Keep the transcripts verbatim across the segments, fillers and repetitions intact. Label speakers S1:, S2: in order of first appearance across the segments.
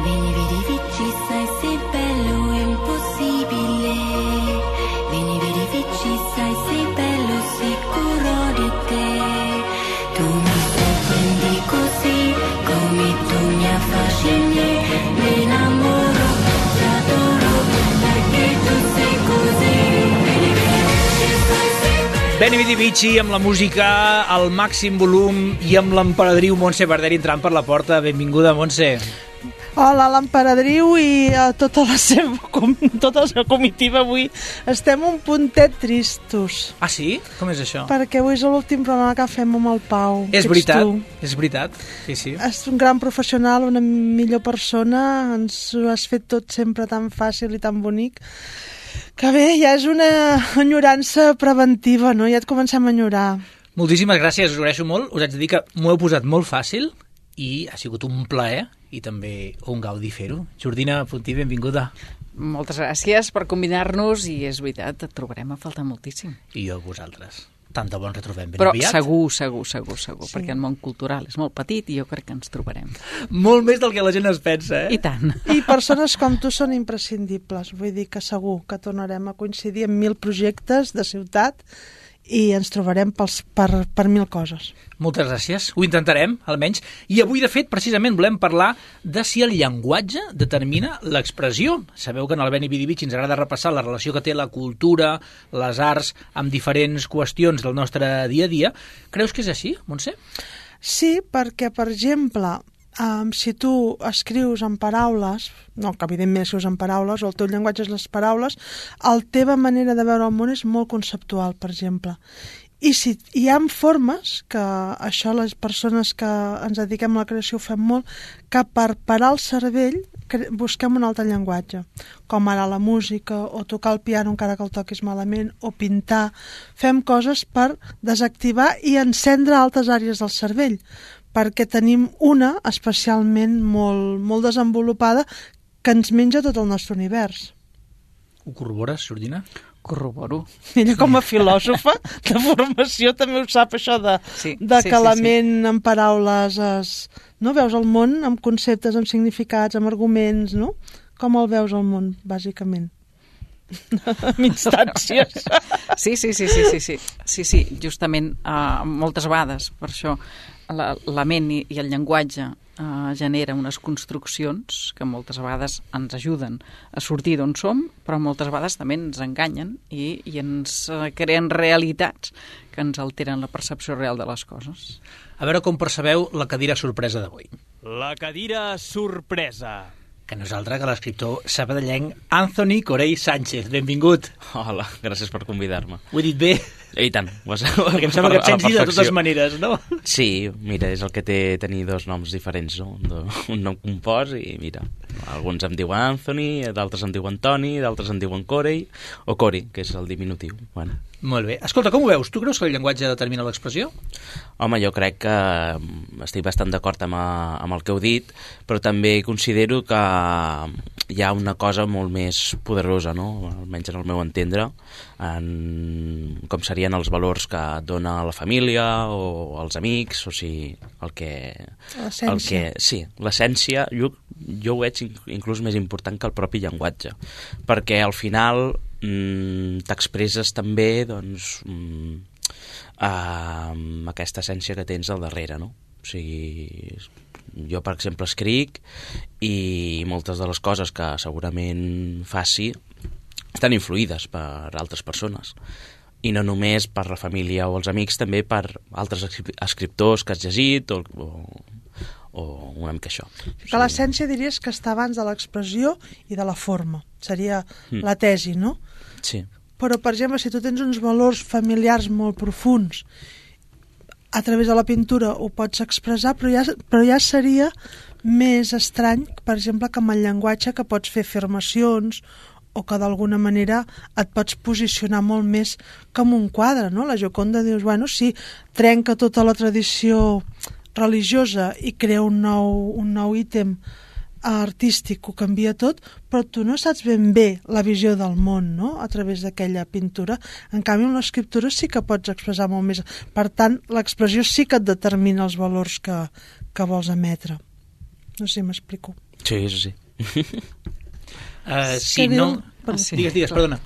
S1: Vieni, vedi, vici, sai, sei bello, è impossibile. Vieni, vedi, vici, sai, sei bello, sicuro di te. Tu mi sorprendi così, come tu mi affascini. Mi innamoro, ti adoro, perché tu sei così. Vieni, vedi, vici, sai, sei bello.
S2: Beni Vidi Vici amb la música al màxim volum i amb l'emperadriu Montse Barderi entrant per la porta. Benvinguda, Montse.
S3: Hola, l'emperadriu i a tota la seva, com, tota la seva comitiva avui. Estem un puntet tristos.
S2: Ah, sí? Com és això?
S3: Perquè avui és l'últim programa que fem amb el Pau.
S2: És veritat, és veritat. Sí, sí.
S3: És un gran professional, una millor persona. Ens ho has fet tot sempre tan fàcil i tan bonic. Que bé, ja és una enyorança preventiva, no? Ja et comencem a enyorar.
S2: Moltíssimes gràcies, us ho agraeixo molt. Us haig de dir que m'ho heu posat molt fàcil i ha sigut un plaer i també un gaudi fer-ho. Jordina Puntí, benvinguda.
S4: Moltes gràcies per convidar-nos i és veritat, et trobarem a faltar moltíssim.
S2: I jo a vosaltres. Tant de bon retrobem ben
S4: Però
S2: aviat.
S4: segur, segur, segur, segur,
S3: Sí.
S4: perquè el món cultural és molt petit i jo crec que ens trobarem.
S2: Molt més del que la gent es pensa, eh?
S4: I tant.
S3: I persones com tu són imprescindibles. Vull dir que segur que tornarem a coincidir en mil projectes de ciutat i ens trobarem pels, per, per mil coses.
S2: Moltes gràcies, ho intentarem, almenys. I avui, de fet, precisament volem parlar de si el llenguatge determina l'expressió. Sabeu que en el Beni Vidi Vici ens agrada repassar la relació que té la cultura, les arts, amb diferents qüestions del nostre dia a dia. Creus que és així, Montse?
S3: Sí, perquè, per exemple, um, si tu escrius en paraules, no, que evidentment escrius en paraules, o el teu llenguatge és les paraules, la teva manera de veure el món és molt conceptual, per exemple. I si hi ha formes, que això les persones que ens dediquem a la creació ho fem molt, que per parar el cervell busquem un altre llenguatge, com ara la música, o tocar el piano encara que el toquis malament, o pintar. Fem coses per desactivar i encendre altres àrees del cervell, perquè tenim una especialment molt, molt desenvolupada que ens menja tot el nostre univers.
S2: Ho corrobores, Jordina?
S4: Corroboro.
S3: Ella com a filòsofa de formació també ho sap, això de,
S4: Sí,
S3: de
S4: sí,
S3: que
S4: sí,
S3: la
S4: sí.
S3: ment en paraules es, no? Veus el món amb conceptes, amb significats, amb arguments, no? Com el veus el món, bàsicament? Amb instàncies.
S4: Sí, sí, sí, sí, sí, sí, sí, sí. Justament uh, moltes vegades, per això la, la ment i, i el llenguatge uh, genera unes construccions que moltes vegades ens ajuden a sortir d'on som, però moltes vegades també ens enganyen i, i ens uh, creen realitats que ens alteren la percepció real de les coses.
S2: A veure com percebeu la cadira sorpresa d'avui.
S5: La cadira sorpresa.
S2: Que no és altre que l'escriptor sabadellenc Anthony Corell Sánchez. Benvingut.
S5: Hola, gràcies per convidar-me.
S2: Ho he dit bé?
S5: I tant. Vas,
S2: Perquè em sembla que et sents dir de totes maneres, no?
S5: Sí, mira, és el que té tenir dos noms diferents, no? Un nom compost i mira, alguns em diuen Anthony, d'altres em diuen Toni, d'altres em diuen Corey, o Cori, que és el diminutiu. Bueno.
S2: Molt bé. Escolta, com ho veus? Tu creus que el llenguatge determina l'expressió?
S5: Home, jo crec que estic bastant d'acord amb, amb el que heu dit, però també considero que hi ha una cosa molt més poderosa, no? Almenys en el meu entendre, en com serien els valors que et dona la família o els amics, o sigui, el que...
S3: L'essència.
S5: El que, sí, l'essència, jo, jo ho veig inclús més important que el propi llenguatge, perquè al final mm, t'expresses també, doncs, mm, amb aquesta essència que tens al darrere, no? O sigui, jo, per exemple, escric i moltes de les coses que segurament faci estan influïdes per altres persones. I no només per la família o els amics, també per altres escriptors que has llegit o, o, o una mica això.
S3: Que l'essència diries que està abans de l'expressió i de la forma. Seria
S5: Mm.
S3: la tesi, no?
S5: Sí.
S3: Però, per exemple, si tu tens uns valors familiars molt profuns, a través de la pintura ho pots expressar, però ja, però ja seria més estrany, per exemple, que amb el llenguatge que pots fer afirmacions o que d'alguna manera et pots posicionar molt més com un quadre, no? La Gioconda dius, bueno, sí, trenca tota la tradició religiosa i crea un nou, un nou ítem artístic, ho canvia tot, però tu no saps ben bé la visió del món, no?, a través d'aquella pintura. En canvi, amb l'escriptura sí que pots expressar molt més. Per tant, l'expressió sí que et determina els valors que, que vols emetre. No sé si m'explico.
S5: Sí, sí, sí.
S2: Uh, si
S3: diu?
S2: no...
S4: Ah, sí.
S2: Digues, digues, perdona.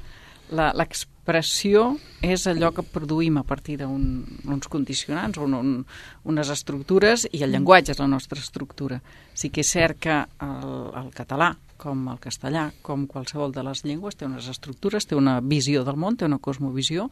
S4: La- L'expressió és allò que produïm a partir d'uns condicionants, un, un, unes estructures, i el llenguatge és la nostra estructura. Sí que és cert que el, el català, com el castellà, com qualsevol de les llengües, té unes estructures, té una visió del món, té una cosmovisió,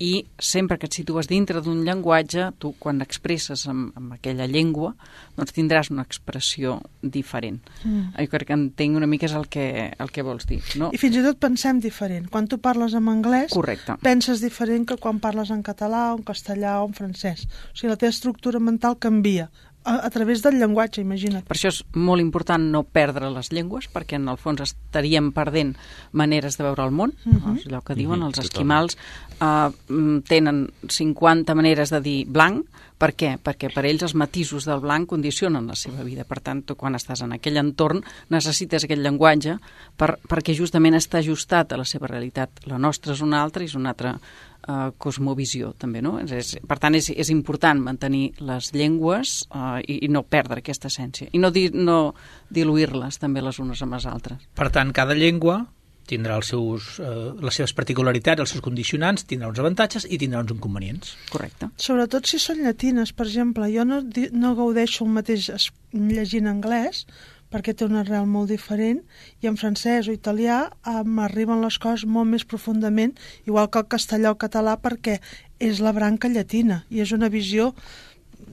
S4: i sempre que et situes dintre d'un llenguatge, tu quan expresses amb, amb aquella llengua, doncs tindràs una expressió diferent. Mm. Jo crec que entenc una mica és el que, el que vols dir, no?
S3: I fins i tot pensem diferent. Quan tu parles en anglès,
S4: Correcte.
S3: penses diferent que quan parles en català, o en castellà o en francès. O sigui, la teva estructura mental canvia a, a través del llenguatge, imagina't.
S4: Per això és molt important no perdre les llengües, perquè en el fons estaríem perdent maneres de veure el món. Uh -huh. És allò que diuen,
S5: Uh-huh,
S4: els
S5: totalment.
S4: esquimals uh, tenen cinquanta maneres de dir blanc. Per què? Perquè per ells els matisos del blanc condicionen la seva vida. Per tant, tu quan estàs en aquell entorn necessites aquest llenguatge per, perquè justament està ajustat a la seva realitat. La nostra és una altra i és una altra Uh, cosmovisió també, no? És, és, per tant, és, és important mantenir les llengües uh, i, i no perdre aquesta essència i no, di, no diluir-les també les unes amb les altres.
S2: Per tant, cada llengua tindrà els seus, eh, les seves particularitats, els seus condicionants, tindrà uns avantatges i tindrà uns inconvenients.
S4: Correcte.
S3: Sobretot si són llatines, per exemple. Jo no, di- no gaudeixo el mateix es- llegint anglès, perquè té un arrel molt diferent, i en francès o italià eh, m'arriben les coses molt més profundament, igual que el castellà o català, perquè és la branca llatina, i és una visió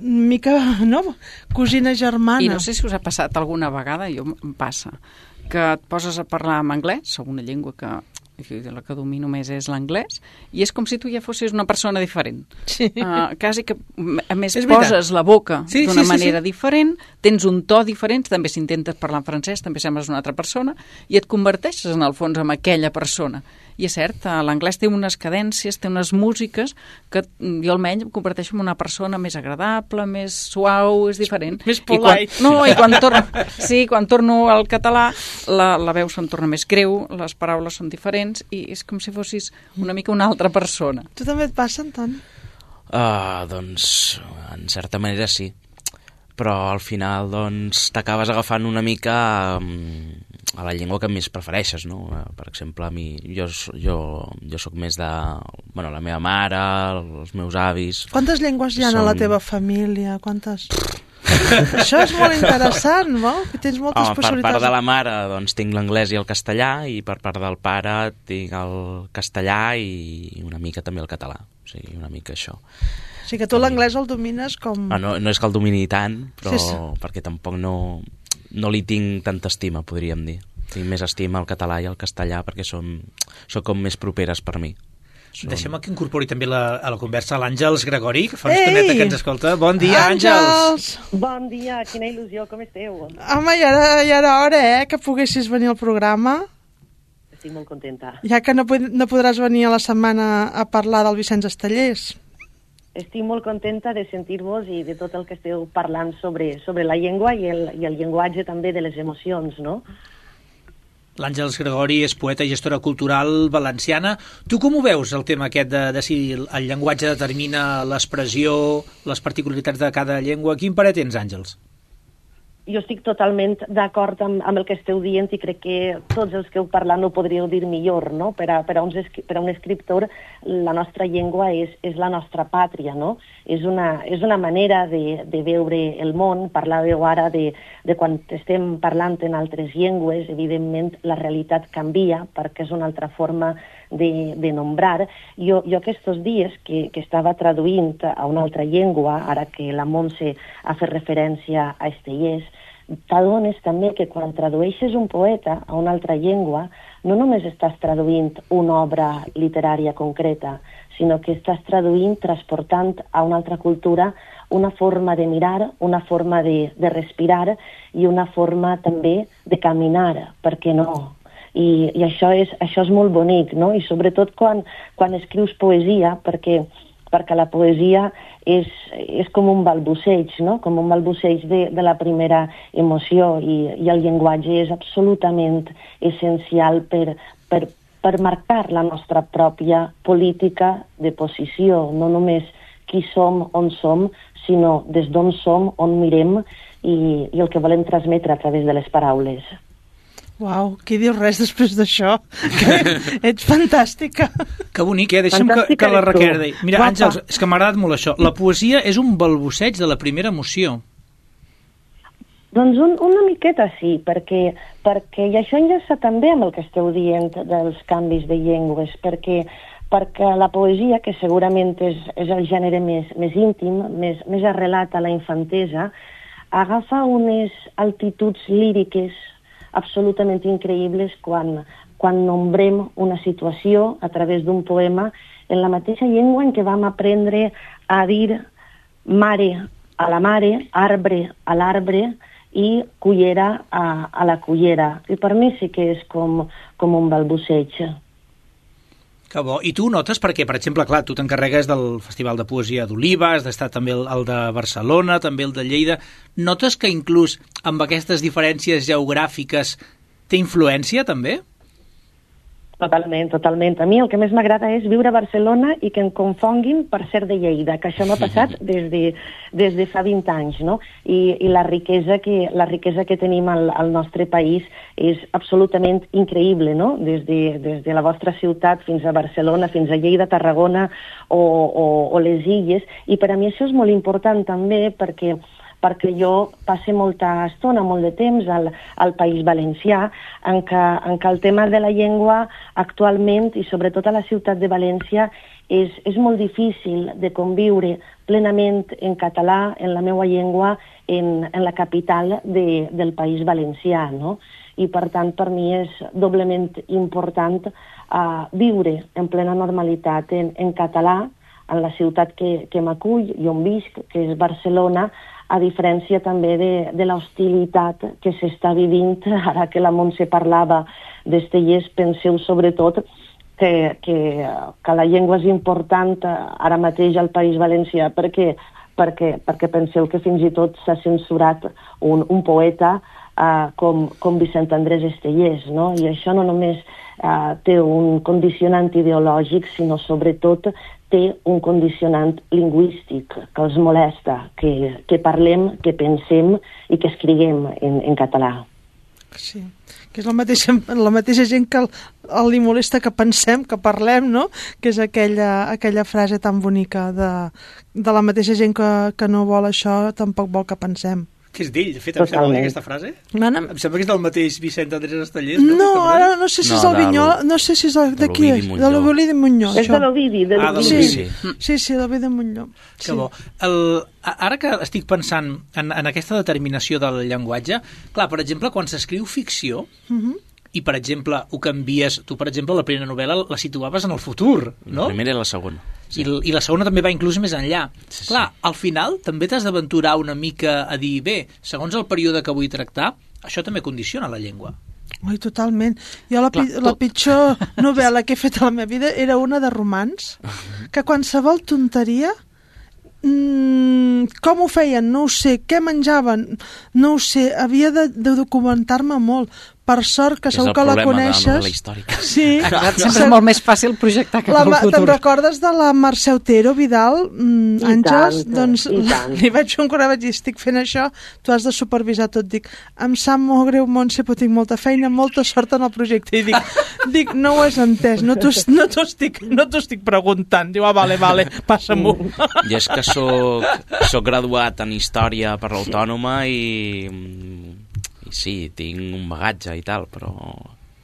S3: una mica, no?, cosina germana.
S4: I no sé si us ha passat alguna vegada, jo em passa, que et poses a parlar en anglès, sobre una llengua que la que domino més és l'anglès, i és com si tu ja fossis una persona diferent.
S3: Sí.
S4: Uh, quasi que, a més,
S2: És veritat.
S4: poses la boca
S2: Sí,
S4: d'una
S2: sí, sí,
S4: manera
S2: sí.
S4: diferent, tens un to diferent, també si intentes parlar en francès també sembles una altra persona, i et converteixes en el fons en aquella persona. I és cert, eh, l'anglès té unes cadències, té unes músiques que mm, jo almenys em converteixo en una persona més agradable, més suau, és diferent.
S3: Més
S4: I quan,
S3: polite.
S4: no, i quan torno, sí, quan torno al català la, la veu se'm torna més greu, les paraules són diferents i és com si fossis una mica una altra persona.
S3: Tu també et passa, Antoni?
S5: Uh, doncs, en certa manera sí. Però al final, doncs, t'acabes agafant una mica um, a la llengua que més prefereixes, no? Uh, per exemple, a mi, jo, jo, jo sóc més de... Bueno, la meva mare, els meus avis...
S3: Quantes llengües hi ha
S5: Són-
S3: a la teva família? Quantes... Això és molt interessant, no? Que tens moltes
S5: Home, per
S3: possibilitats.
S5: part de la mare, doncs, tinc l'anglès i el castellà, i per part del pare tinc el castellà i una mica també el català. O sigui, una mica això.
S3: O sigui que tu l'anglès el domines com...
S5: Ah, no, no és que el domini tant, però
S3: Sí, sí.
S5: perquè tampoc no, no li tinc tanta estima, podríem dir. Tinc més estima al català i al castellà perquè són, són com més properes per mi. Són...
S2: Deixem que incorpori també la, a la conversa l'Àngels Gregori, que fa una
S3: Ei!
S2: estoneta que ens escolta. Bon dia, Àngels!
S6: Bon dia, quina il·lusió, com esteu?
S3: Home, ja era, ja era hora, eh, que poguessis venir al programa.
S6: Estic molt contenta.
S3: Ja que no, pod no podràs venir a la setmana a parlar del Vicenç Estellers.
S6: Estic molt contenta de sentir-vos i de tot el que esteu parlant sobre, sobre la llengua i el, i el llenguatge també de les emocions, no?
S2: L'Àngels Gregori és poeta i gestora cultural valenciana. Tu com ho veus, el tema aquest de, de si el, el llenguatge determina l'expressió, les particularitats de cada llengua? Quin parer tens, Àngels?
S6: Jo estic totalment d'acord amb, amb el que esteu dient i crec que tots els que heu parlat no ho podríeu dir millor, no? Per a, per a, uns, per a un escriptor, la nostra llengua és, és la nostra pàtria, no? És una, és una manera de, de veure el món. Parlàveu ara de, de quan estem parlant en altres llengües, evidentment la realitat canvia perquè és una altra forma de, de nombrar. Jo, jo aquests dies que, que estava traduint a una altra llengua, ara que la Montse ha fet referència a Estellers, t'adones també que quan tradueixes un poeta a una altra llengua no només estàs traduint una obra literària concreta, sinó que estàs traduint, transportant a una altra cultura una forma de mirar, una forma de, de respirar i una forma també de caminar, per què no? I, i això, és, això és molt bonic, no? I sobretot quan, quan escrius poesia, perquè perquè la poesia és, és com un balbuceig, no? Com un balbuceig de, de la primera emoció i, i el llenguatge és absolutament essencial per, per, per marcar la nostra pròpia política de posició, no només qui som, on som, sinó des d'on som, on mirem i, i el que volem transmetre a través de les paraules.
S3: Uau, qui diu res després d'això? Ets fantàstica.
S2: Que bonic, eh? Deixa'm que, que la Raquel deia. Mira,
S3: Guapa.
S2: Àngels, és que m'ha agradat molt això. La poesia és un balbuceig de la primera emoció.
S6: Doncs un, una miqueta sí, perquè, perquè i això enllaça també amb el que esteu dient dels canvis de llengües, perquè, perquè la poesia, que segurament és, és el gènere més, més íntim, més, més arrelat a la infantesa, agafa unes altituds líriques absolutament increïbles quan, quan nombrem una situació a través d'un poema en la mateixa llengua en què vam aprendre a dir mare a la mare, arbre a l'arbre i cullera a, a la cullera. I per mi sí que és com, com un balbuceig.
S2: Que bo. I tu notes, perquè, per exemple, clar, tu t'encarregues del Festival de Poesia d'Oliva, has d'estar també el, el de Barcelona, també el de Lleida. Notes que inclús amb aquestes diferències geogràfiques té influència, també?
S6: Totalment, totalment. A mi el que més m'agrada és viure a Barcelona i que em confonguin per ser de Lleida, que això m'ha passat des de, des de fa vint anys, no? I, i la riquesa que, la riquesa que tenim al, al nostre país és absolutament increïble, no? Des de, des de la vostra ciutat fins a Barcelona, fins a Lleida, Tarragona o, o, o les Illes. I per a mi això és molt important també perquè perquè jo passe molta estona, molt de temps al, al País Valencià, en què, en què el tema de la llengua actualment, i sobretot a la ciutat de València, és, és molt difícil de conviure plenament en català, en la meva llengua, en, en la capital de, del País Valencià, no? I per tant per mi és doblement important uh, viure en plena normalitat en, en català, en la ciutat que, que m'acull i on visc, que és Barcelona, a diferència també de, de l'hostilitat que s'està vivint, ara que la Montse parlava d'Estellers, penseu sobretot que, que, que la llengua és important ara mateix al País Valencià perquè, perquè, perquè penseu que fins i tot s'ha censurat un, un poeta uh, com, com Vicent Andrés Estellers, no? I això no només uh, té un condicionant ideològic, sinó sobretot té un condicionant lingüístic que els molesta, que, que parlem, que pensem i que escriguem en, en català.
S3: Sí, que és la mateixa, la mateixa gent que el, el li molesta que pensem, que parlem, no? Que és aquella, aquella frase tan bonica de, de la mateixa gent que, que no vol això, tampoc vol que pensem.
S2: Que és d'ell, de fet, em sembla aquesta frase?
S3: Mana...
S2: Em sembla que és del mateix Vicent Andrés Estellers, no?
S3: No, ara no sé si és
S5: no,
S3: el Vinyol, no sé si és el, de qui és, de l'Ovidi Montllor.
S6: És de l'Ovidi, de
S2: Ah, de
S6: l'Ovidi.
S2: l'Ovidi.
S3: Sí, sí, sí, l'Ovidi Montllor.
S2: Que bo. El, ara que estic pensant en, en aquesta determinació del llenguatge, clar, per exemple, quan s'escriu ficció,
S3: Uh -huh.
S2: i, per exemple, ho canvies... Tu, per exemple, la primera novel·la la situaves en el futur, no?
S5: La primera i la segona.
S2: Sí. I, I la segona també va inclús més enllà.
S5: Sí, sí.
S2: Clar, al final també t'has d'aventurar una mica a dir, bé, segons el període que vull tractar, això també condiciona la llengua.
S3: Oi, totalment. Jo la,
S2: Clar,
S3: pi la
S2: tot.
S3: pitjor novel·la que he fet a la meva vida era una de romans, que qualsevol tonteria... Mm, com ho feien? No ho sé. Què menjaven? No ho sé. Havia de, de documentar-me molt. Per sort que segur que la coneixes.
S5: És el problema de la novel·la històrica.
S3: Sí.
S4: Sempre és molt més fàcil projectar cap
S3: La,
S4: al futur.
S3: te'n recordes de la Mercè Otero, Vidal? Mm,
S6: I
S3: Àngels?
S6: tant,
S3: Doncs
S6: i tant.
S3: li vaig fer un correu, vaig dir, estic fent això, tu has de supervisar tot. Dic, em sap molt greu, Montse, però tinc molta feina, molta sort en el projecte. I dic, dic no ho has entès, no t'ho no estic, no estic preguntant. Diu, ah, vale, vale, passa-m'ho.
S5: I és que soc, soc graduat en Història per l'Autònoma i... I sí, tinc un bagatge i tal, però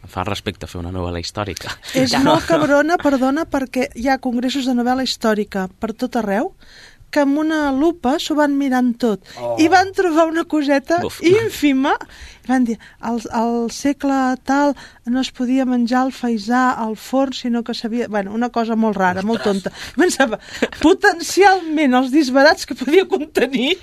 S5: em fa respecte fer una novel·la històrica.
S3: És molt cabrona, perdona, perquè hi ha congressos de novel·la històrica per tot arreu, que amb una lupa s'ho van mirant tot. Oh. I van trobar una coseta
S5: Uf.
S3: ínfima. I van dir, al, al segle tal no es podia menjar el faisà al forn, sinó que s'havia... Bueno, una cosa molt rara, Ostres. molt tonta. I pensava, potencialment els disbarats que podia contenir...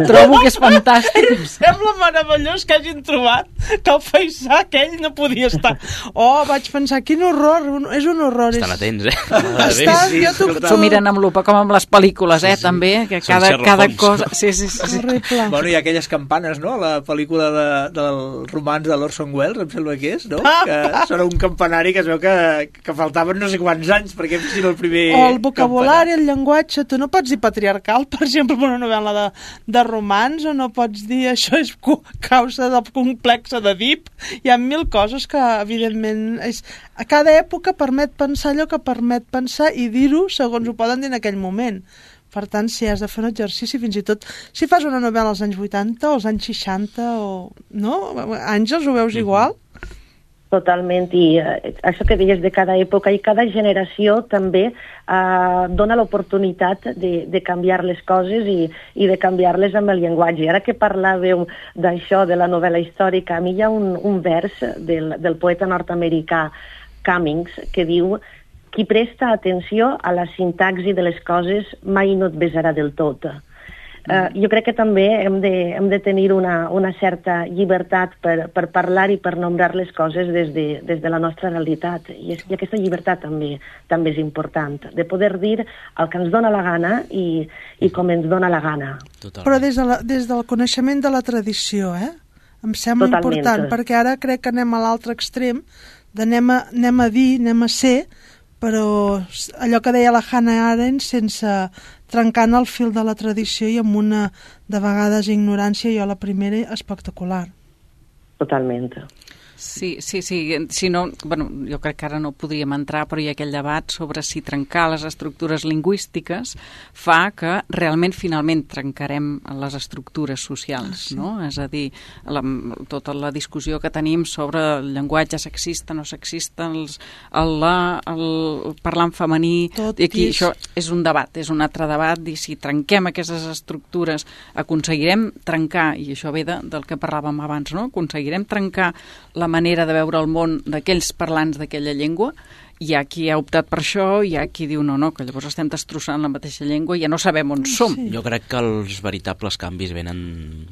S4: Trobo que és fantàstic.
S3: Em sembla meravellós que hagin trobat que el faisà aquell no podia estar. Oh, vaig pensar, quin horror, un, és un horror.
S5: Estan
S3: és...
S5: atents, eh?
S3: Estan,
S2: Sí,
S3: jo t'ho...
S4: S'ho miren amb lupa, com amb les pel·lícules. pel·lícules, eh,
S5: Sí, sí.
S4: també, que
S5: Són
S4: cada,
S5: Sherlock
S4: cada
S5: Holmes.
S4: cosa... Sí, sí, sí. sí.
S3: Horrible.
S2: Bueno, hi ha aquelles campanes, no?, la pel·lícula de, del romans de l'Orson Welles, em sembla que és, no?, que són un campanari que es veu que, que faltaven no sé quants anys perquè fossin el primer
S3: O el vocabulari,
S2: campanar.
S3: el llenguatge, tu no pots dir patriarcal, per exemple, en una novel·la de, de romans, o no pots dir això és cu- causa del complexe d'Edip. Hi ha mil coses que, evidentment, és, a cada època permet pensar allò que permet pensar i dir-ho segons ho poden dir en aquell moment. Per tant, si has de fer un exercici, fins i tot si fas una novel·la als anys vuitanta o als anys seixanta, o... no? Àngels, ho veus igual?
S6: Totalment, i eh, això que deies de cada època i cada generació també eh, dona l'oportunitat de, de canviar les coses i, i de canviar-les amb el llenguatge. Ara que parlàveu d'això, de la novel·la històrica, a mi hi ha un, un vers del, del poeta nord-americà Cummings que diu: qui presta atenció a la sintaxi de les coses mai no et besarà del tot. Uh, jo crec que també hem de, hem de tenir una, una certa llibertat per, per parlar i per nombrar les coses des de, des de la nostra realitat. I, és, i aquesta llibertat també també és important, de poder dir el que ens dona la gana i, i com ens dona la gana.
S5: Totalment.
S3: Però des, de la, des del coneixement de la tradició, eh? Em sembla
S6: Totalment.
S3: important, perquè ara crec que anem a l'altre extrem, d'anem a, anem a dir, anem a ser, però allò que deia la Hannah Arendt, sense trencant el fil de la tradició i amb una, de vegades, ignorància, jo la primera, espectacular.
S6: Totalment.
S4: Sí, sí, sí. Si no, bueno, jo crec que ara no podríem entrar, però hi ha aquell debat sobre si trencar les estructures lingüístiques fa que realment finalment trencarem les estructures socials,
S3: sí.
S4: no? És a dir, la, tota la discussió que tenim sobre el llenguatge sexista, no sexista, els, el, la, el parlar en femení,
S3: Tot
S4: i aquí
S3: és...
S4: això és un debat, és un altre debat, i si trenquem aquestes estructures aconseguirem trencar, i això ve de, del que parlàvem abans, no? Aconseguirem trencar la manera de veure el món d'aquells parlants d'aquella llengua. Hi ha qui ha optat per això, hi ha qui diu no, no, que llavors estem destrossant la mateixa llengua i ja no sabem on som.
S3: Sí.
S5: Jo crec que els veritables canvis venen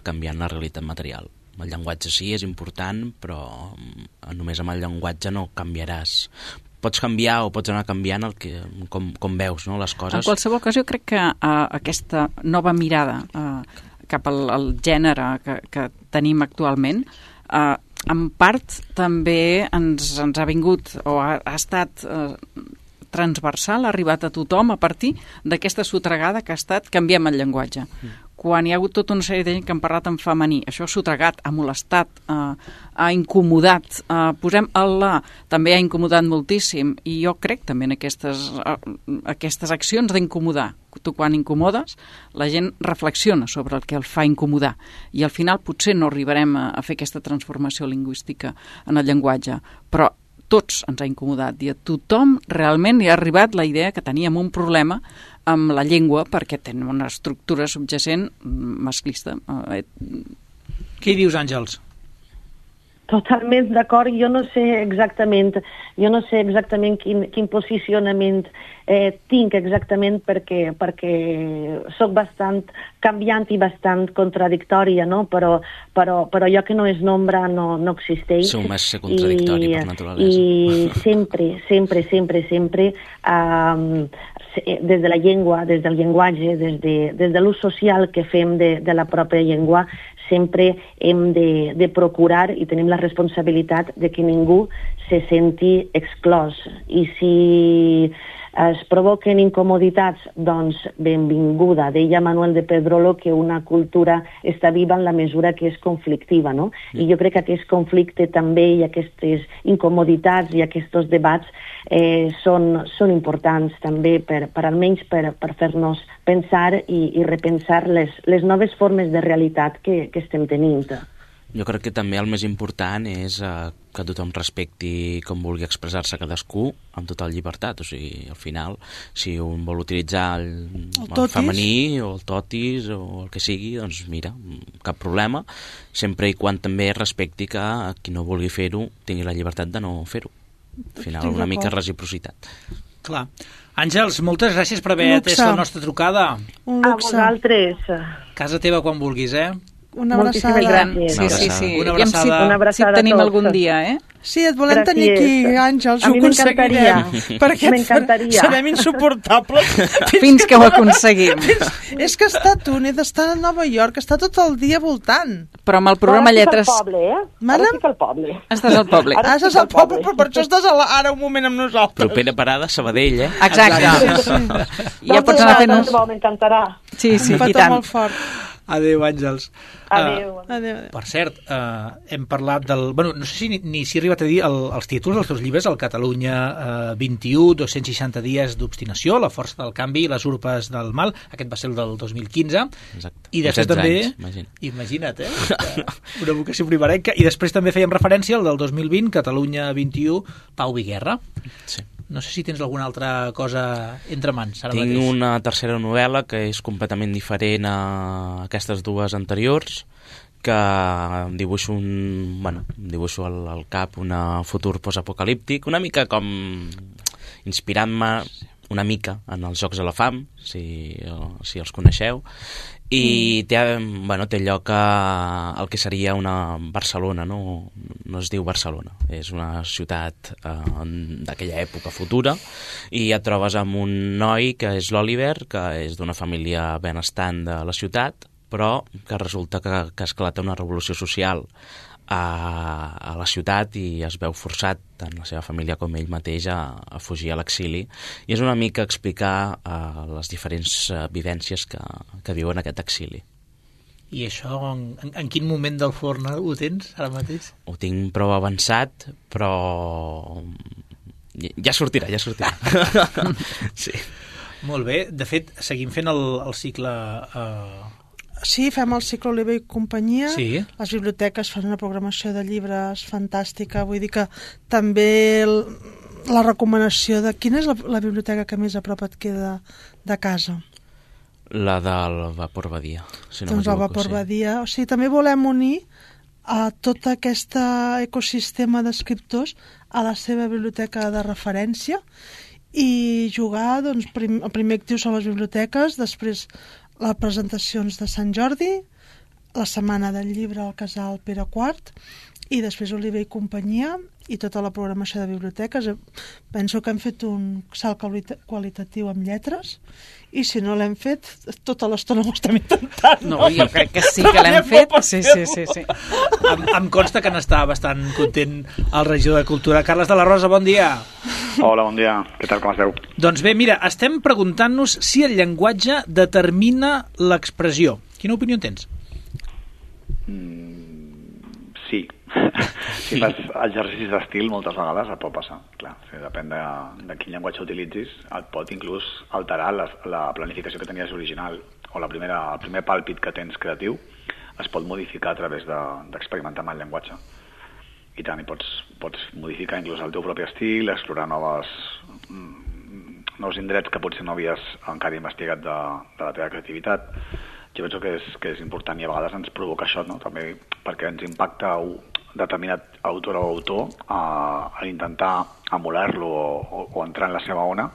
S5: canviant la realitat material. El llenguatge sí, és important, però només amb el llenguatge no canviaràs. Pots canviar o pots anar canviant el que, com, com veus, no, les coses.
S4: En qualsevol cas, jo crec que uh, aquesta nova mirada uh, cap al, al gènere que, que tenim actualment, uh, en part també ens, ens ha vingut o ha, ha estat uh, transversal, ha arribat a tothom a partir d'aquesta sotregada que ha estat canviem el llenguatge. Mm. Quan hi ha hagut tota una sèrie de gent que han parlat en femení, això ha sotregat, ha molestat, eh, ha incomodat, eh, posem el la, també ha incomodat moltíssim, i jo crec també en aquestes, eh, aquestes accions d'incomodar. Tu quan incomodes, la gent reflexiona sobre el que el fa incomodar, i al final potser no arribarem a, a fer aquesta transformació lingüística en el llenguatge, però tots ens ha incomodat, i a tothom realment hi ha arribat la idea que teníem un problema amb la llengua perquè tenen una estructura subjacent masclista.
S2: Què hi dius, Àngels?
S6: Totalment d'acord, jo no sé exactament, jo no sé exactament quin, quin posicionament eh, tinc exactament perquè, perquè soc bastant canviant i bastant contradictòria, no? Però, però, però allò que no és nombre no, no existeix.
S5: Sou més contradictori
S6: I,
S5: per naturalesa.
S6: I sempre, sempre, sempre, sempre, um, des de la llengua, des del llenguatge, des de, des de l'ús social que fem de, de la pròpia llengua, sempre hem de, de procurar i tenim la responsabilitat de que ningú se senti exclòs. I si es provoquen incomoditats, doncs benvinguda. Deia Manuel de Pedrolo que una cultura està viva en la mesura que és conflictiva, no? I jo crec que aquest conflicte també i aquestes incomoditats i aquests debats eh, són, són importants també per, per almenys per, per fer-nos pensar i, i repensar les, les noves formes de realitat que, que estem tenint.
S5: Jo crec que també el més important és eh, que tothom respecti com vulgui expressar-se cadascú amb total llibertat. O sigui, al final, si un vol utilitzar el, el, el femení o el totis o el que sigui, doncs mira, cap problema, sempre i quan també respecti que qui no vulgui fer-ho tingui la llibertat de no fer-ho. Al final, una mica reciprocitat.
S2: Clar. Àngels, moltes gràcies per haver atès la nostra trucada.
S3: Un
S6: A
S3: luxe.
S6: vosaltres.
S2: Casa teva quan vulguis, eh?
S3: Una abraçada.
S6: Moltíssimes gràcies.
S4: Sí, sí, sí.
S2: Una
S4: Aviam si,
S2: abraçada.
S6: Una abraçada
S4: si tenim
S6: a tots.
S4: algun dia, eh?
S3: Sí, et volem tenir aquí, Àngels,
S6: A
S3: ho
S6: mi m'encantaria.
S3: aconseguirem. Perquè
S6: M'encantaria.
S3: serem insuportables.
S4: Fins que ho aconseguim.
S3: És que està a Túnez, està a Nova York, està tot el dia voltant.
S4: Però amb el programa
S6: Ara
S4: Lletres...
S6: estic al poble, eh?
S3: Mana?
S6: Ara estic al poble.
S4: Estàs al poble.
S6: Ara
S3: Ara estàs al poble, però per això estàs a la, ara un moment amb nosaltres.
S5: Propera parada, Sabadell, eh?
S4: Exacte. Ja
S6: Doncs
S4: pots anar fent un...
S6: M'encantarà.
S4: Sí, sí,
S3: Un
S4: i
S3: petó
S4: tant.
S3: molt fort.
S2: Adéu, Àngels.
S6: Adéu.
S2: Uh,
S3: Adéu, adéu.
S2: per cert, uh, hem parlat del... Bueno, no sé si ni, ni si he arribat a dir el, els títols dels teus llibres, el Catalunya uh, vint-i-u, dos-cents seixanta dies d'obstinació, La força del canvi i les urpes del mal. Aquest va ser el del dos mil quinze.
S5: Exacte.
S2: I després
S5: setze
S2: també...
S5: anys, imagina.
S2: Imagina't, eh? Una vocació primerenca. I després també fèiem referència al del dos mil vint, Catalunya vint-i-u, Pau i Guerra.
S5: Sí.
S2: No sé si tens alguna altra cosa entre mans ara
S5: Tinc
S2: mateix.
S5: una tercera novel·la que és completament diferent a aquestes dues anteriors, que em dibuixo un, bueno, em dibuixo al, al cap un futur postapocalíptic, una mica com inspirant-me una mica en els Jocs de la Fam, si, si els coneixeu, i té, bueno, té lloc a el que seria una Barcelona, no, no es diu Barcelona, és una ciutat eh, d'aquella època futura, i et trobes amb un noi que és l'Oliver, que és d'una família benestant de la ciutat, però que resulta que, que esclata una revolució social a, a la ciutat i es veu forçat, tant la seva família com ell mateix, a, a fugir a l'exili. I és una mica explicar uh, les diferents uh, vivències que, que viuen aquest exili.
S2: I això, en, en quin moment del forn ho tens ara mateix?
S5: Ho tinc prou avançat, però ja sortirà, ja sortirà. Sí.
S2: Molt bé. De fet, seguim fent el, el cicle... Eh...
S3: Sí, fem el cicle Oliver i companyia.
S2: Sí.
S3: Les biblioteques fan una programació de llibres fantàstica. Vull dir que també el, la recomanació de quina és la, la biblioteca que més a prop et queda de casa.
S5: La del Vapor Badia, si no
S3: Doncs el Vapor
S5: sí.
S3: Badia. O sigui, també volem unir a tot aquest ecosistema d'escriptors a la seva biblioteca de referència i jugar, doncs, prim, el primer actiu són les biblioteques, després les presentacions de Sant Jordi, la setmana del llibre al Casal Pere quart i després Oliver i companyia i tota la programació de biblioteques. Penso que hem fet un salt qualitatiu amb lletres i si no l'hem fet, tota l'estona ho estem intentant.
S4: No, jo crec que sí que l'hem fet. Sí, sí, sí, sí.
S2: Em, em consta que n'està bastant content el regidor de Cultura. Carles de la Rosa, bon dia.
S7: Hola, bon dia. Què tal, com esteu?
S2: Doncs bé, mira, estem preguntant-nos si el llenguatge determina l'expressió. Quina opinió en tens?
S7: Mm, sí. Si fas exercicis d'estil, moltes vegades et pot passar. Clar, o sigui, depèn de, de quin llenguatge utilitzis, et pot inclús alterar la, la planificació que tenies original o la primera, el primer pàlpit que tens creatiu es pot modificar a través d'experimentar de, amb el llenguatge. I tant, i pots, pots modificar inclús el teu propi estil, explorar noves, mm, nous indrets que potser no havies encara investigat de, de la teva creativitat. Jo penso que és, que és important i a vegades ens provoca això, no? També perquè ens impacta un determinat autor o autor a, a intentar emular-lo o, o, o entrar en la seva ona,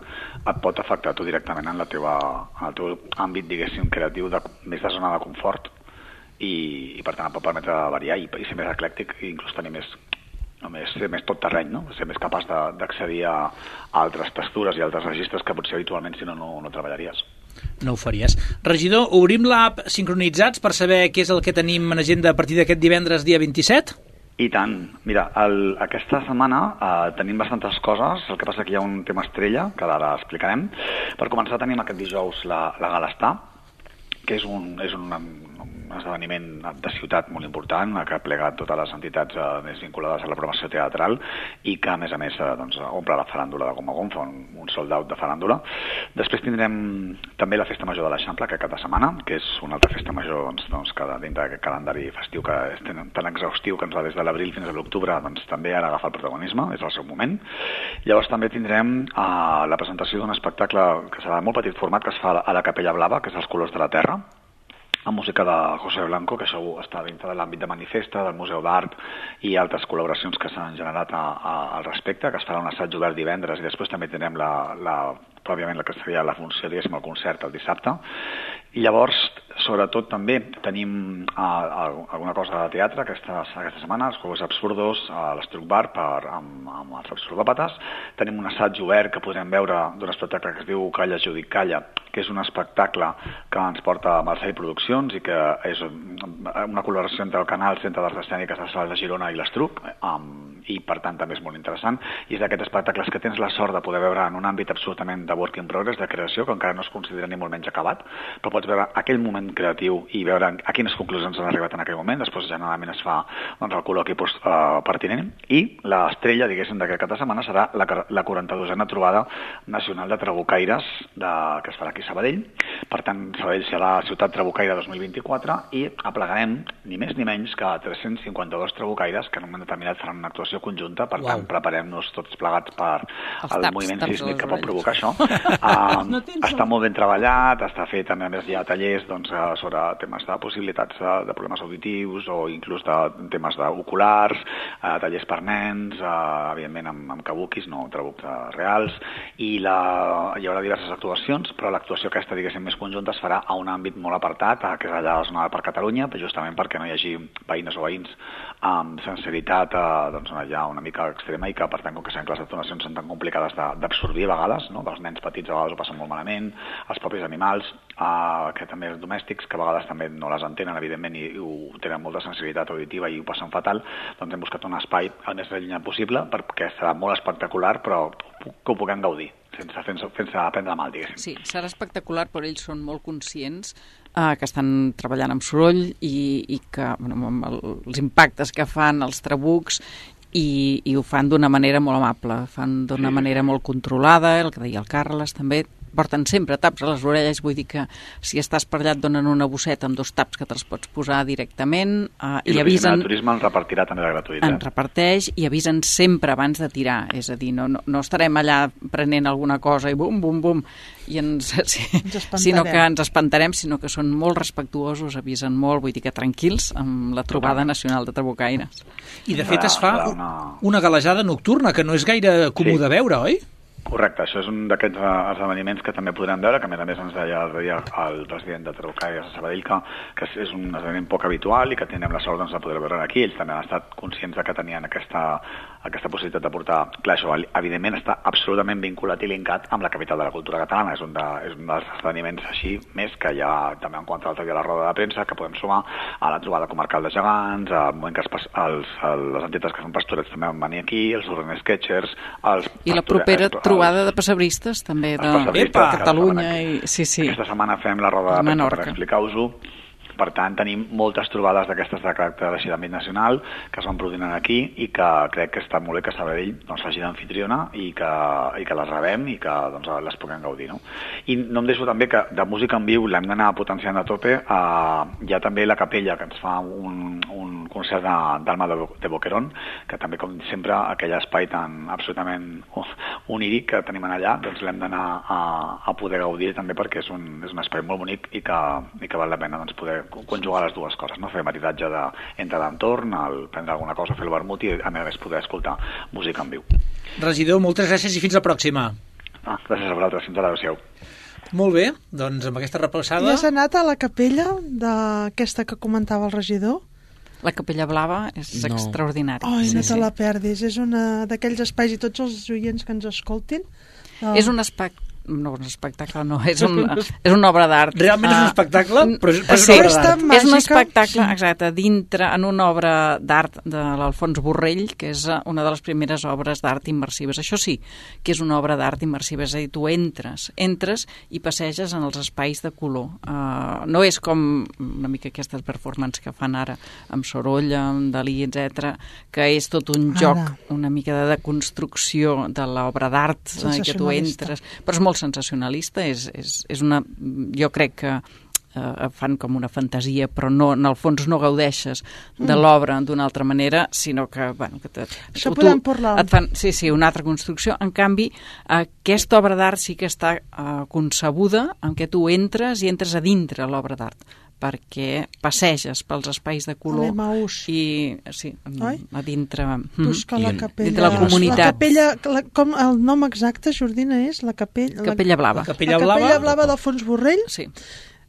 S7: et pot afectar tu directament en, la teva, en el teu àmbit, diguéssim, creatiu, de, més de zona de confort i, i per tant et pot permetre variar i, i ser més eclèctic i inclús tenir més, no, més, ser més tot terreny, no? Ser més capaç d'accedir a, a altres textures i altres registres que potser habitualment si no, no, no treballaries.
S2: No ho faries. Regidor, obrim l'app Sincronitzats per saber què és el que tenim en agenda a partir d'aquest divendres, dia vint-i-set?
S7: I tant. Mira, el, aquesta setmana eh, tenim bastantes coses, el que passa que hi ha un tema estrella, que ara explicarem. Per començar tenim aquest dijous la, la Gala Estar, que és un, és un, un esdeveniment de ciutat molt important, que ha plegat totes les entitats eh, més vinculades a la programació teatral i que, a més a més, eh, doncs, omple la faràndula de Gom a Gom, fa un, un sold out de faràndula. Després tindrem també la Festa Major de l'Eixample, que cada setmana, que és una altra festa major doncs, doncs, que dintre d'aquest calendari festiu que és tan exhaustiu que ens va des de l'abril fins a l'octubre, doncs també ara agafa el protagonisme, és el seu moment. Llavors també tindrem eh, la presentació d'un espectacle que serà de molt petit format, que es fa a la Capella Blava, que és Els colors de la terra, amb música de José Blanco, que això està dintre de l'àmbit de Manifesta, del Museu d'Art i altres col·laboracions que s'han generat a, a, al respecte, que es farà un assaig obert divendres i després també tindrem la, la, pròpiament la que seria la funció, diguéssim, el concert el dissabte. I llavors, sobretot també tenim uh, alguna cosa de teatre aquesta, aquesta setmana, els Juegos Absurdos a l'Estruc Bar per, amb, amb els absurdòpates. Tenim un assaig obert que podem veure d'un espectacle que es diu Calla, jo dic calla, que és un espectacle que ens porta Marcel Produccions i que és una col·laboració entre el Canal Centre d'Arts Escèniques de Sala de Girona i l'Estruc, um, i per tant també és molt interessant. I és d'aquests espectacles que tens la sort de poder veure en un àmbit absolutament de work in progress, de creació, que encara no es considera ni molt menys acabat, però pots veure aquell moment creatiu i veure a quines conclusions han arribat en aquell moment. Després generalment es fa doncs, el col·loqui post, uh, pertinent, i l'estrella, diguéssim, d'aquest cap de setmana serà la, la quaranta-dosena trobada nacional de trabucaires de, que es farà aquí a Sabadell. Per tant, Sabadell serà la ciutat trabucaire dos mil vint-i-quatre i aplegarem ni més ni menys que tres-cents cinquanta-dos trabucaires que en un moment determinat faran una actuació conjunta. Per
S2: Uau.
S7: tant, preparem-nos tots plegats per
S4: Els
S7: el
S4: taps,
S7: moviment
S4: taps
S7: sísmic
S4: a les
S7: que pot
S4: orelles.
S7: provocar això. Uh, no està molt ben treballat, està fet també, a més hi ha tallers doncs, sobre temes de possibilitats de, de problemes auditius o inclús de temes d'oculars, uh, tallers per nens, uh, evidentment amb, amb kabuquis, no trabucs uh, reals, i la, hi haurà diverses actuacions, però l'actuació aquesta, diguéssim, més conjunta es farà a un àmbit molt apartat, uh, que és allà a la zona del Parc Catalunya, justament perquè no hi hagi veïnes o veïns amb sensibilitat uh, doncs, allà una mica extrema i que, per tant, com que sabem que les detonacions són tan complicades d'absorbir a vegades, no? Els nens petits a vegades ho passen molt malament, els propis animals, uh, que també els domèstics, que a vegades també no les entenen, evidentment, i, i ho tenen molta sensibilitat auditiva i ho passen fatal, doncs hem buscat un espai el més allunyat possible perquè serà molt espectacular, però que ho puguem gaudir, sense, sense, sense prendre mal, diguéssim.
S4: Sí, serà espectacular, però ells són molt conscients eh, que estan treballant amb soroll i, i que, bueno, amb el, els impactes que fan els trabucs i, i ho fan d'una manera molt amable, fan d'una
S7: Sí.
S4: manera molt controlada, el que deia el Carles també, porten sempre taps a les orelles, vull dir que si estàs per allà et donen una bosseta amb dos taps que te'ls pots posar directament eh,
S7: I,
S4: i
S7: l'oficina
S4: avisen...
S7: de turisme en repartirà també de gratuïtat.
S4: En reparteix i avisen sempre abans de tirar, és a dir, no, no, no estarem allà prenent alguna cosa i bum, bum, bum, i ens, sí,
S3: Ens espantarem.
S4: sinó que ens espantarem, sinó que són molt respectuosos, avisen molt, vull dir que tranquils amb la trobada nacional de trabucaires.
S2: I de fet es fa
S7: Serà una-
S2: una galejada nocturna, que no és gaire comú
S7: Sí.
S2: de veure, oi?
S7: Correcte, això és un d'aquests eh, esdeveniments que també podrem veure, que a més a més ens deia l'altre dia el president de Trabucaires de Sabadell que, que és un esdeveniment poc habitual i que tindrem la sort doncs, de poder veure aquí. Ells també han estat conscients de que tenien aquesta, aquesta possibilitat de portar... Clar, això evidentment està absolutament vinculat i linkat amb la capital de la cultura catalana. És un, de, és un dels esdeveniments així més que hi ha també en quant a l'altre dia a la roda de premsa, que podem sumar a la trobada comarcal de gegants, al moment que els, els, les entitats que fan pastorets també van venir aquí, els Urban Sketchers... Els
S4: I la
S7: pastorets-
S4: propera
S7: els-
S4: trobada de passebristes també de,
S7: Els passebristes,
S4: de
S7: que
S4: Catalunya
S7: estaven
S4: i, sí, sí.
S7: Aquesta setmana fem la roda de premsa
S4: Menorca.
S7: per explicar-vos-ho. Per tant, tenim moltes trobades d'aquestes de caràcter així d'àmbit nacional que es van produint aquí i que crec que està molt bé que Sabadell doncs, faci d'anfitriona i, que, i que les rebem i que doncs, les puguem gaudir. No? I no em deixo també que de música en viu l'hem d'anar potenciant a tope. Uh, hi ha també la capella que ens fa un, un concert d'Alma de, de Boquerón, que també, com sempre, aquell espai tan absolutament oníric que tenim allà, doncs l'hem d'anar a, a poder gaudir també perquè és un, és un espai molt bonic i que, i que val la pena doncs, poder conjugar les dues coses, no? Fer maridatge de, entre l'entorn, el prendre alguna cosa, fer el vermut i a més poder escoltar música en viu.
S2: Regidor, moltes gràcies i fins la pròxima.
S7: Ah, gràcies a vosaltres, fins ara, adéu-siau.
S2: Molt bé, doncs amb aquesta repassada...
S3: I has anat a la capella d'aquesta que comentava el regidor?
S4: La Capella Blava és
S5: No.
S4: extraordinària.
S3: Ai,
S4: sí,
S3: no te
S4: sí.
S3: la perdis. És una d'aquells espais i tots els oients que ens escoltin. eh,
S4: És un espectacle, no, un espectacle no, és, un, és una obra d'art.
S2: Realment és un
S4: Ah,
S2: espectacle, però és, però és
S4: sí,
S2: una obra
S3: Festa
S2: d'art.
S4: és un
S3: màgica.
S4: espectacle, exacte, dintre, en una obra d'art de l'Alfons Borrell, que és una de les primeres obres d'art immersives. Això sí, que és una obra d'art immersiva, és a dir, tu entres, entres i passeges en els espais de color. Uh, no és com una mica aquestes performances que fan ara amb soroll, amb Dalí, etcètera, que és tot un
S3: Ara.
S4: joc, una mica de deconstrucció de l'obra d'art, eh, que tu
S3: Sensacionalista.
S4: entres, però és molt sensacionalista, és, és, és una... Jo crec que eh, fan com una fantasia, però no, en el fons no gaudeixes de
S3: Mm.
S4: l'obra d'una altra manera, sinó que, bueno, que te,
S3: Això
S4: tu-
S3: podem parlar.
S4: et fan, sí, sí, una altra construcció. En canvi, aquesta obra d'art sí que està eh, concebuda en què tu entres i entres a dintre l'obra d'art, perquè passeges pels espais de color
S3: l'Emaús.
S4: i sí,
S3: Oi?
S4: a dintre
S3: Busca
S5: I
S3: la
S5: en-
S3: capella.
S4: dintre la comunitat.
S3: La capella, la, com el nom exacte, Jordina, és la capella...
S4: Capella Blava.
S2: La Capella
S3: la capella
S2: Blava.
S3: blava d'Alfons Borrell.
S4: Sí.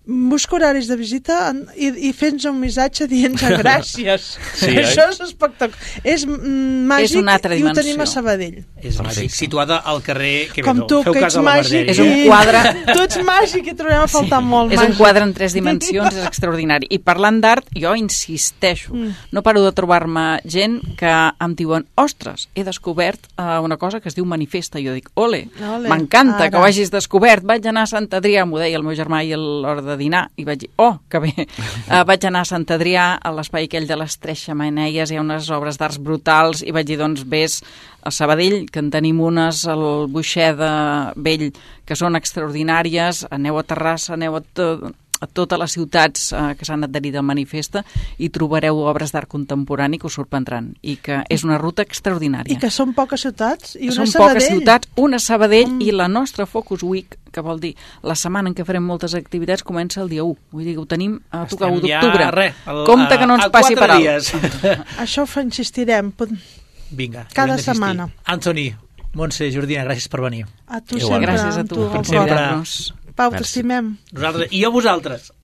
S3: busca horaris de visita en- i, i fes-nos un missatge dient-nos gràcies.
S5: Sí,
S3: Això
S5: oi?
S3: és espectacular. És mm, màgic
S4: És una altra
S3: i ho tenim
S4: dimensió.
S3: a Sabadell.
S2: És màgic, situada al carrer... Què
S3: Com
S2: bé,
S3: tu,
S2: feu
S3: que
S2: cas
S3: ets
S2: a la
S3: màgic.
S2: Margèria.
S4: És un
S3: i-
S4: quadre.
S3: Tu ets màgic i trobem a faltar molt.
S4: És un
S3: màgic.
S4: quadre en tres dimensions, és extraordinari. I parlant d'art, jo insisteixo,
S3: Mm.
S4: no paro de trobar-me gent que em diuen, ostres, he descobert uh, una cosa que es diu manifesta. I jo dic, ole,
S3: Ole,
S4: m'encanta
S3: ara.
S4: que ho hagis descobert. Vaig anar a Sant Adrià, m'ho deia el meu germà i a l'hora de dinar, i vaig dir, oh, que bé. Uh, vaig anar a Sant Adrià, a l'espai aquell de les Tres Xemeneies, hi ha unes obres d'arts brutals, i vaig dir, doncs, vés a Sabadell, que en tenim unes al Buixeda Vell, que són extraordinàries, aneu a Terrassa, aneu a, to a totes les ciutats eh, que s'han adherit al manifesta i trobareu obres d'art contemporani que us sorprendran, i que és una ruta extraordinària.
S3: I que són poques ciutats i una
S4: Són
S3: Sabadell.
S4: poques ciutats, una Sabadell,
S3: Mm.
S4: i la nostra Focus Week, que vol dir la setmana en què farem moltes activitats, comença el dia u. Vull dir que ho tenim a tocar u
S2: Estem ja,
S4: d'octubre.
S2: res, el-
S4: Compte que no
S2: a-
S4: ens
S2: a
S4: passi
S2: quatre
S4: per alt.
S2: dies.
S3: Això ho fa- insistirem. Pot-
S2: Vinga.
S3: Cada
S2: haurem d'insistir.
S3: setmana.
S2: Antoni, Montse, Jordina, gràcies per venir.
S3: A tu
S5: Igual.
S3: sempre.
S4: Gràcies a
S3: amb
S4: tu
S3: tu,
S4: per
S3: al cor.
S2: sempre.
S4: convidar-nos.
S3: Pau,
S5: Merci.
S3: t'estimem.
S2: Nosaltres, i a vosaltres.